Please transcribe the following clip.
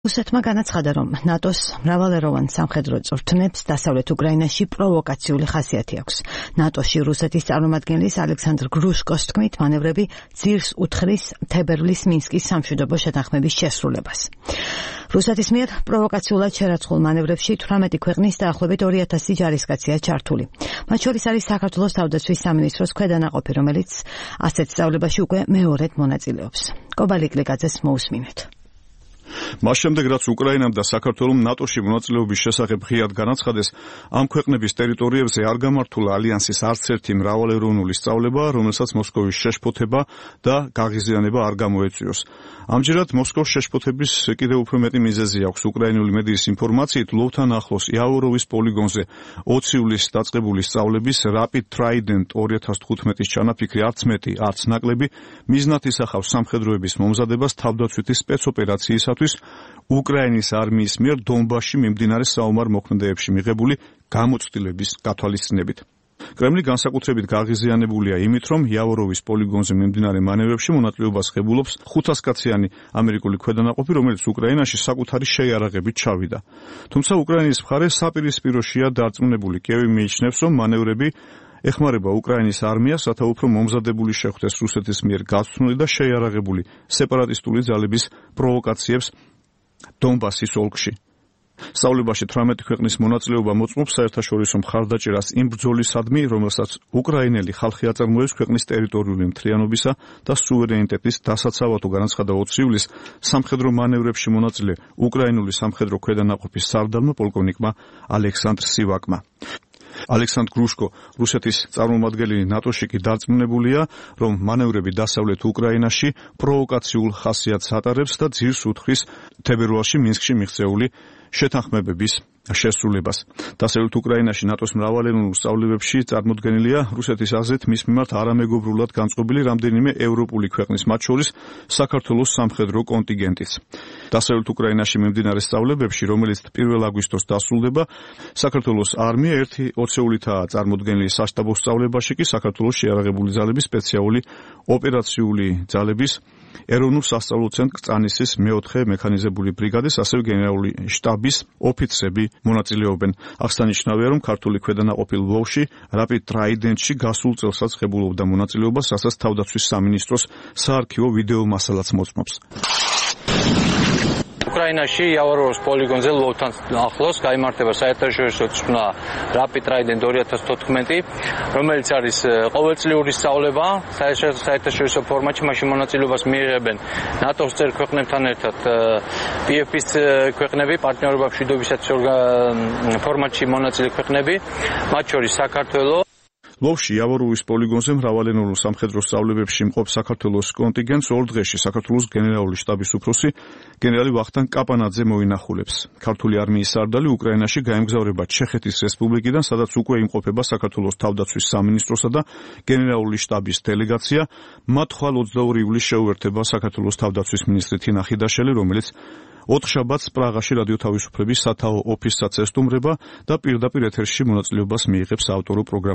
რუსეთმა განაცხადა, რომ ნატოს მრავალეროვან სამხედრო წვრთნებს დასავლეთ უკრაინაში პროვოკაციული ხასიათი აქვს. ნატოში რუსეთის წარმომადგენლის ალექსანდრ გრუშკოს თქმით, მანევრები ძირს უთხრის თებერვლის მინსკის სამშვიდობო შეთანხმების შესრულებას. რუსეთის მიერ პროვოკაციულად შერაცხულ მანევრებში 18 ქვეყნის დაახლოებით 2000 ჯარისკაცია ჩართული. მათ შორის არის საქართველოს თავდაცვის სამინისტროს ქვედანაყოფი, რომელიც ასეთ სწავლებაში უკვე მეორედ მონაწილეობს. კობალიკ ლიკაძეს მოусმინეთ. მას შემდეგ, რაც უკრაინამ და საქართველომ ნატოში მონაწილეობის შესახებ ღიად განაცხადეს, ამ ქვეყნების ტერიტორიებზე არ გამართულა ალიანსის არც ერთი მრავალეროვნული სწავლება, რომელსაც მოსკოვის შეშფოთება და გაღიზიანება არ გამოეწვიოს. ამჯერად მოსკოვის შეშფოთების კიდევ უფრო მეტი მიზეზი აქვს. უკრაინული მედიის ინფორმაციით, ლვოვთან ახლოს იავროვის პოლიგონზე 20 ივლისს დაწყებული სწავლების Rapid Trident 2015-ის ჩანაფიქრი არც მეტი, არც ნაკლები მიზნად ისახავს სამხედროების მომზადებას თავდაცვითი სპეცოპერაციისათვის უკრაინის არმიის მიერ დონბასში მიმდინარე საომარ მოქმედებებში მიღებული გამოცდილების გათვალისწინებით. კრემლი განსაკუთრებით გაღიზიანებულია იმით, რომ იავროვის პოლიგონზე მიმდინარე მანევრებში მონაწილეობას ღებულობს 500 კაციანი ამერიკული ქვედანაყოფი, რომელიც უკრაინაში საკუთარი შეიარაღებით ჩავიდა. თუმცა უკრაინის მხარე საპირისპიროშია დარწმუნებული. კიევი მიიჩნევს, რომ მანევრები ეხმარება უკრაინის არმიას, რათა უფრო მომზადებული შეხვდეს რუსეთის მიერ გაცნული და შეიარაღებული სეპარატისტული ძალების პროვოკაციებს დონბასის ოლქში. სწავლებაში 18 ქვეყნის მონაწილეობა მოწმობს საერთაშორისო მხარდაჭერას იმ ბრძოლისადმი, რომელსაც უკრაინელი ხალხი აწარმოებს ქვეყნის ტერიტორიული მთლიანობისა და სუვერენიტეტის დასაცავად, განაცხადა 20 ივლისს სამხედრო მანევრებში მონაწილე უკრაინული სამხედრო ქვედანაყოფის სარდალმა პოლკოვნიკმა ალექსანდრ სივაკმა. ალექსანდრ გრუშკო, რუსეთის წარმომადგენელი ნატოში კი დარწმუნებულია, რომ მანევრები დასავლეთ უკრაინაში პროვოკაციულ ხასიათს ატარებს და ძირს უთხრის თებერვალში მინსკში მიღწეული შეთანხმებების შესრულებას. დასავლეთ უკრაინაში ნატოს მრავალეროვნულ სწავლებებში წარმოდგენილია რუსეთის აზრით მის მიმართ არამეგობრულად განწყობილი რამდენიმე ევროპული ქვეყნის, მათ შორის საქართველოს სამხედრო კონტინგენტიც. დასავლეთ უკრაინაში მიმდინარე სწავლებებში, რომელიც 1 აგვისტოს დასრულდება, საქართველოს არმია 1 20-ულითაა წარმოდგენილი. საშტაბო სწავლებაში კი საქართველოს შეიარაღებული ძალების სპეციალური ოპერაციული ძალების ეროვნულ სასწავლო ცენტრ კრწანისის 4 მექანიზებული ბრიგადის, ასევე გენერალური შტაბის ოფიცრები მონაწილეობენ. აღსანიშნავია, რომ ქართული ქვედანაყოფი ლვოვში Rapid Trident-ში გასულ წელსაც ღებულობდა მონაწილეობას, რასაც თავდაცვის სამინისტროს საარქივო ვიდეო მასალაც მოწმობს. უკრაინაში იავროვის პოლიგონზე ლვოვთან ახლოს გაიმართება საერთაშორისო წვრთნა Rapid Trident 2014, რომელიც არის ყოველწლიური სწავლება საერთაშორისო ფორმატში. მაშინ მონაწილეობას მიიღებენ ნატოს წევრ ქვეყნებთან ერთად PFP-ის ქვეყნები, პარტნიორობა მშვიდობისათვის ფორმატში მონაწილე ქვეყნები, მათ შორის საქართველო. ლვოვში იავროვის პოლიგონზე მრავალეროვნულ სამხედრო სწავლებებში მყოფ საქართველოს კონტინგენტს 2 დღეში საქართველოს გენერალური შტაბის უფროსი გენერალი ვახტანგ კაპანაძე მოინახულებს. ქართული არმიის სარდალი უკრაინაში გაემგზავრება ჩეხეთის რესპუბლიკიდან, სადაც უკვე იმყოფება საქართველოს თავდაცვის სამინისტროსა და გენერალური შტაბის დელეგაცია. მათ ხვალ 22 ივლისს შეუერთდება საქართველოს თავდაცვის მინისტრი თინა ხიდაშელი, რომელიც 4 შაბათს პრაღაში რადიო თავისუფლების სათაო ოფისსაც ესტუმრება და პირდაპირ ეთერში მონაწილეობას მიიღებს ავტორო პროგრამაში.